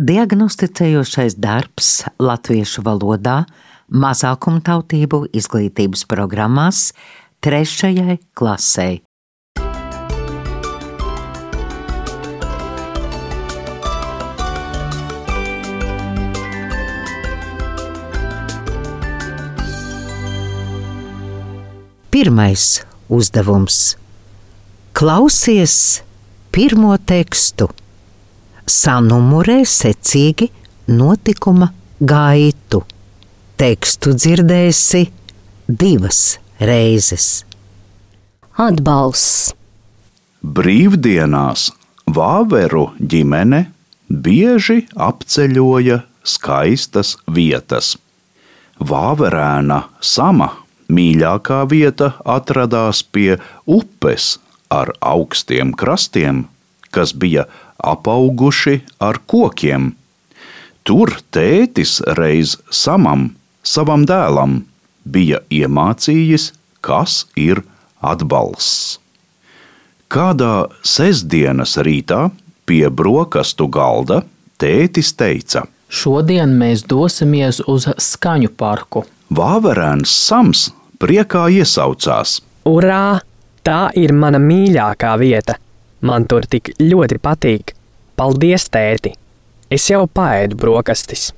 Diagnosticējošais darbs latviešu valodā mazākumtautību izglītības programmās 3. klasei. Pirmais uzdevums. Klausies pirmo tekstu. Sanumurē secīgi notikuma gaitu. Tekstu dzirdēsi 2 reizes. Atbalsts. Brīvdienās Vāveru ģimene bieži apceļoja skaistas vietas. Vāverēna Sama mīļākā vieta atradās pie upes ar augstiem krastiem, kas bija apauguši ar kokiem. Tur tētis reiz Samam, savam dēlam, bija iemācījis, kas ir atbalsts. Kādā sestdienas rītā pie brokastu galda tētis teica: Šodien mēs dosimies uz skaņu parku. Vāverēns Sams priekā iesaucās: Urā! Tā ir mana mīļākā vieta. Man tur tik ļoti patīk. Paldies, tēti! Es jau paēdu brokastis.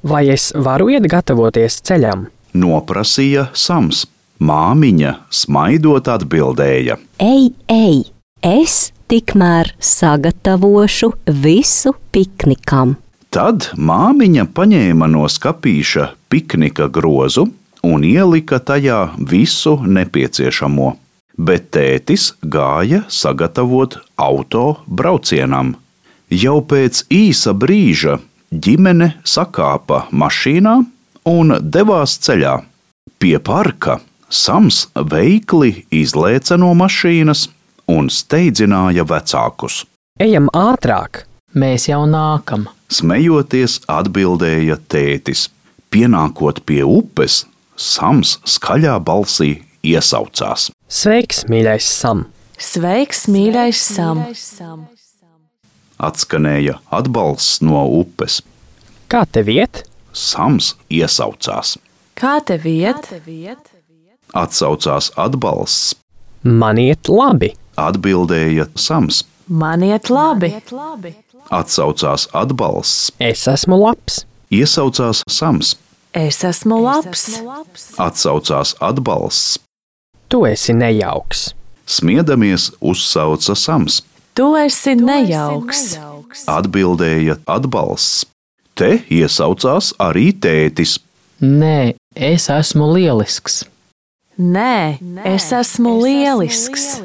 Vai es varu iet gatavoties ceļam? Noprasīja Sams. Māmiņa smaidot atbildēja: Ej! Es tikmēr sagatavošu visu piknikam. Tad māmiņa paņēma no skapīša piknika grozu un ielika tajā visu nepieciešamo, bet tētis gāja sagatavot auto braucienam. Jau pēc īsa brīža ģimene sakāpa mašīnā un devās ceļā. Pie parka Sams veikli izlēca no mašīnas un steidzināja vecākus. Ejam ātrāk! Mēs jau nākam. Smejoties atbildēja tētis. Pienākot pie upes, Sams skaļā balsī iesaucās: Sveiks, mīļais Sam! Sveiks, mīļais Sam! Atskanēja atbalsts no upes. Kā tev iet? Sams iesaucās. Kā tev iet? Atsaucās atbalsts. Man iet labi! Atbildēja Sams. Man iet labi! Atsaucās atbalsts. Es esmu labs! Iesaucās Sams. Es esmu labs! Atsaucās atbalsts. Tu esi nejauks! Smiedamies uzsauca Sams. Tu esi nejauks! Atbildēja atbalsts. Te iesaucās arī tētis. Nē, es esmu lielisks. Nē, es esmu lielisks!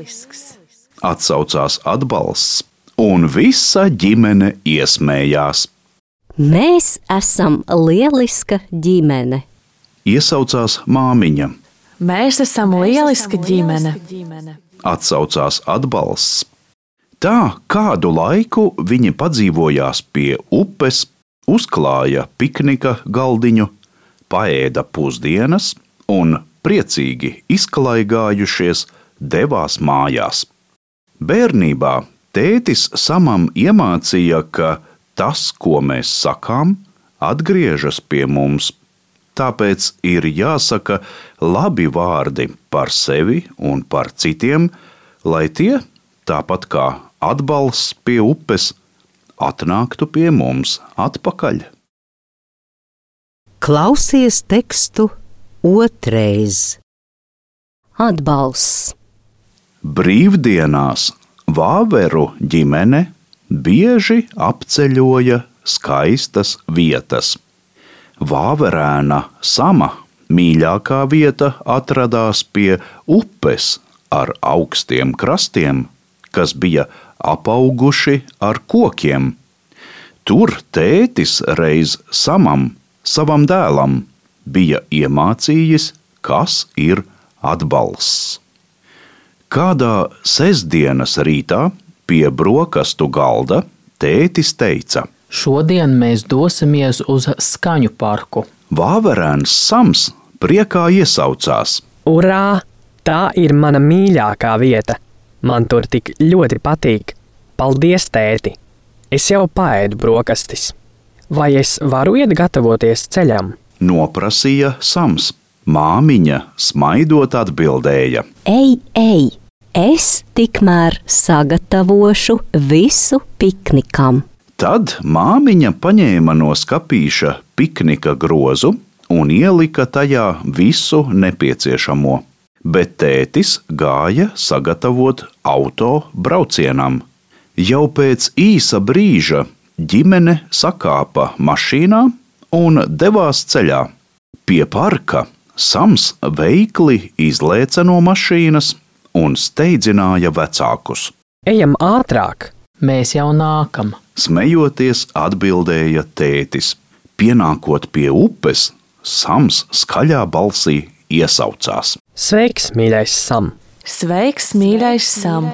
Atsaucās atbalsts, un visa ģimene iesmējās. Mēs esam lieliska ģimene. Iesaucās māmiņa. Mēs esam lieliska ģimene! Atsaucās atbalsts. Tā kādu laiku viņi padzīvojās pie upes, uzklāja piknika galdiņu, paēda pusdienas un priecīgi izklaigājušies devās mājās. Bērnībā tētis Samam iemācīja, ka tas, ko mēs sakām, atgriežas pie mums. Tāpēc ir jāsaka labi vārdi par sevi un par citiem, lai tie, tāpat kā atbalsts pie upes, atnāktu pie mums atpakaļ. Klausies tekstu otrais. Atbalsts. Brīvdienās Vāveru ģimene bieži apceļoja skaistas vietas. Vāverēna Sama mīļākā vieta atradās pie upes ar augstiem krastiem, kas bija apauguši ar kokiem. Tur tētis reiz Samam, savam dēlam, bija iemācījis, kas ir atbalsts. Kādā sestdienas rītā pie brokastu galda tētis teica: Šodien mēs dosimies uz skaņu parku. Vāverēns Sams priekā iesaucās: Urā! Tā ir mana mīļākā vieta. Man tur tik ļoti patīk. Paldies, tēti! Es jau paēdu brokastis. Vai es varu iet gatavoties ceļam? Noprasīja Sams. Māmiņa smaidot atbildēja: Ej, es tikmēr sagatavošu visu piknikam. Tad māmiņa paņēma no skapīša piknika grozu un ielika tajā visu nepieciešamo, bet tētis gāja sagatavot auto braucienam. Jau pēc īsa brīža ģimene sakāpa mašīnā un devās ceļā. Pie parka Sams veikli izlēca no mašīnas un steidzināja vecākus. Ejam ātrāk! Mēs jau nākam. Smejoties, atbildēja tētis. Pienākot pie upes, Sams skaļā balsī iesaucās: Sveiks, mīļais Sam! Sveiks, mīļais Sam!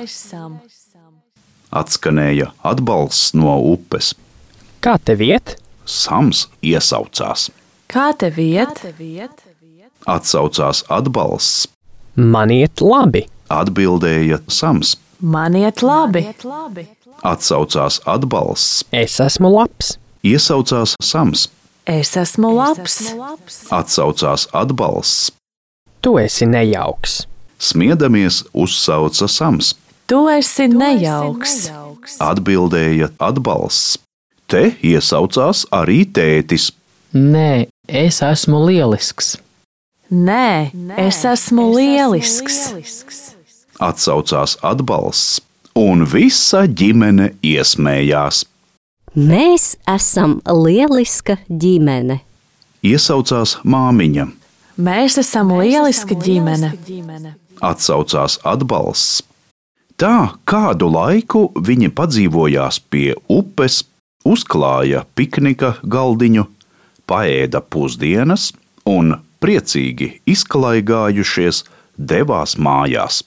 Atskanēja atbalsts no upes. Kā tev iet? Sams iesaucās. Kā tev iet? Atsaucās atbalsts. Man iet labi! Atbildēja Sams. Man iet labi! Atsaucās atbalsts. Es esmu labs! Iesaucās Sams. Es esmu labs! Atsaucās atbalsts. Tu esi nejauks! Smiedamies, uzsauca Sams. Tu esi nejauks! Atbildēja atbalsts. Te iesaucās arī tētis. Nē, es esmu lielisks. Nē, es esmu lielisks! Atsaucās atbalsts, un visa ģimene iesmējās. Mēs esam lieliska ģimene. Iesaucās māmiņa. Mēs esam lieliska ģimene! Atsaucās atbalsts. Tā kādu laiku viņi padzīvojās pie upes, uzklāja piknika galdiņu, paēda pusdienas un, priecīgi izklaigājušies, devās mājās.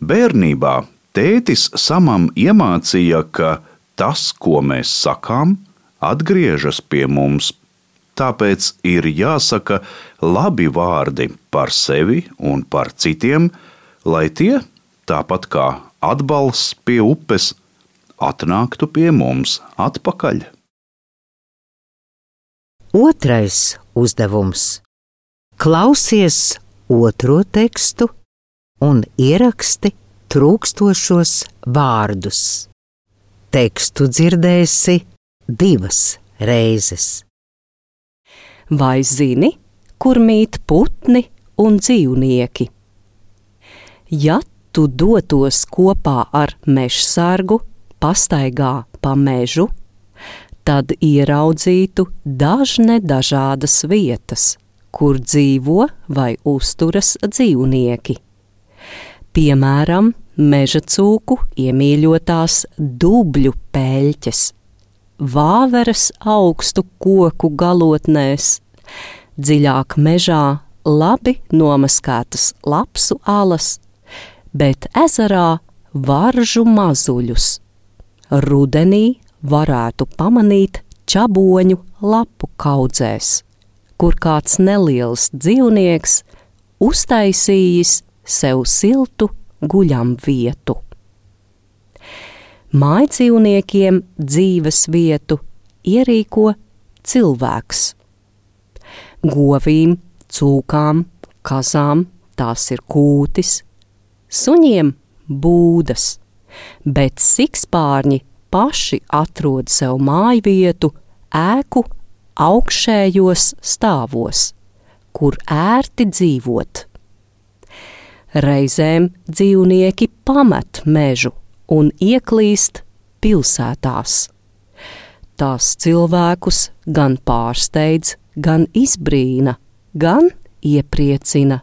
Bērnībā tētis Samam iemācīja, ka tas, ko mēs sakām, atgriežas pie mums. Tāpēc ir jāsaka labi vārdi par sevi un par citiem, lai tie, tāpat kā atbalsts pie upes, atnāktu pie mums atpakaļ. Otrais uzdevums. Klausies otro tekstu un ieraksti trūkstošos vārdus. Tekstu dzirdēsi 2 reizes. Vai zini, kur mīt putni un dzīvnieki? Ja tu dotos kopā ar mežsargu pastaigā pa mežu, tad ieraudzītu dažādas vietas, kur dzīvo vai uzturas dzīvnieki. Piemēram, meža cūku iemīļotās dubļu peļķes, vāveres augstu koku galotnēs, dziļāk mežā labi nomaskētas lapsu alas, bet ezerā varžu mazuļus. Rudenī varētu pamanīt čaboņu lapu kaudzēs, kur kāds neliels dzīvnieks uztaisījis sev siltu guļam vietu. Mājdzīvniekiem dzīves vietu ierīko cilvēks. Govīm, cūkām, kazām tās ir kūtis, suņiem būdas, bet sikspārņi paši atrod sev mājvietu ēku augšējos stāvos, kur ērti dzīvot. Reizēm dzīvnieki pamet mežu un ieklīst pilsētās. Tās cilvēkus gan pārsteidz, gan izbrīna, gan iepriecina.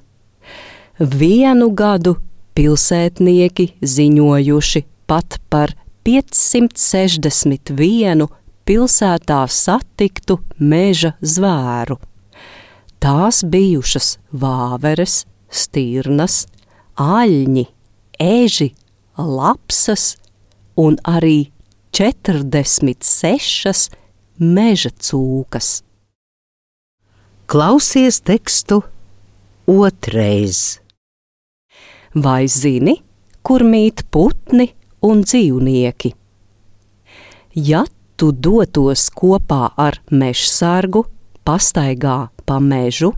Vienu gadu pilsētnieki ziņojuši pat par 561 pilsētā satiktu meža zvēru. Tās bijušas vāveres, stirnas, aļņi, eži, lapsas un arī 46 meža cūkas. Klausies tekstu otrais. Vai zini, kur mīt putni un dzīvnieki? Ja tu dotos kopā ar mežsargu pastaigā pa mežu,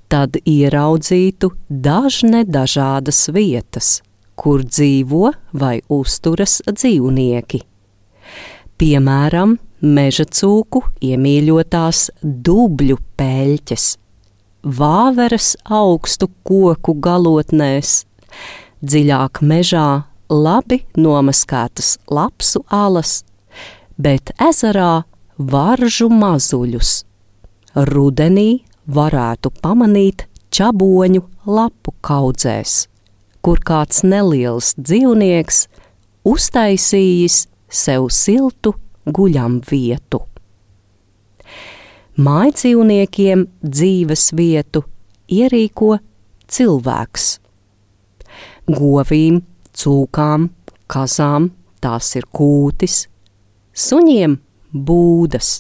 tad ieraudzītu dažādas vietas, kur dzīvo vai uzturas dzīvnieki. Piemēram, meža cūku iemīļotās dubļu peļķes, vāveres augstu koku galotnēs, dziļāk mežā labi nomaskētas lapsu alas, bet ezerā varžu mazuļus. Rudenī varētu pamanīt čaboņu lapu kaudzēs, kur kāds neliels dzīvnieks uztaisījis sev siltu guļam vietu. Mājdzīvniekiem dzīves vietu ierīko cilvēks. Govīm, cūkām, kazām tās ir kūtis, suņiem būdas,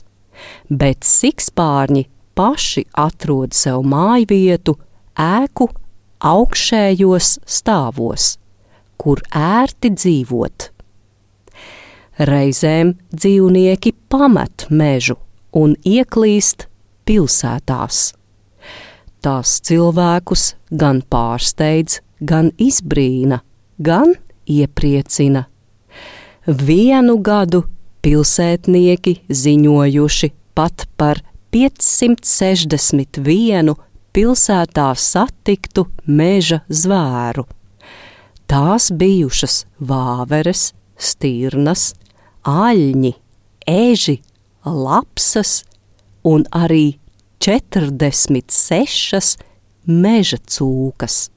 bet sikspārņi paši atrod sev mājvietu ēku augšējos stāvos, kur ērti dzīvot. Reizēm dzīvnieki pamet mežu un ieklīst pilsētās. Tās cilvēkus gan pārsteidz, gan izbrīna, gan iepriecina. Vienu gadu pilsētnieki ziņojuši pat par 561 pilsētā satiktu meža zvēru. Tās bijušas vāveres, stirnas, aļņi, eži, lapsas un arī 46 meža cūkas.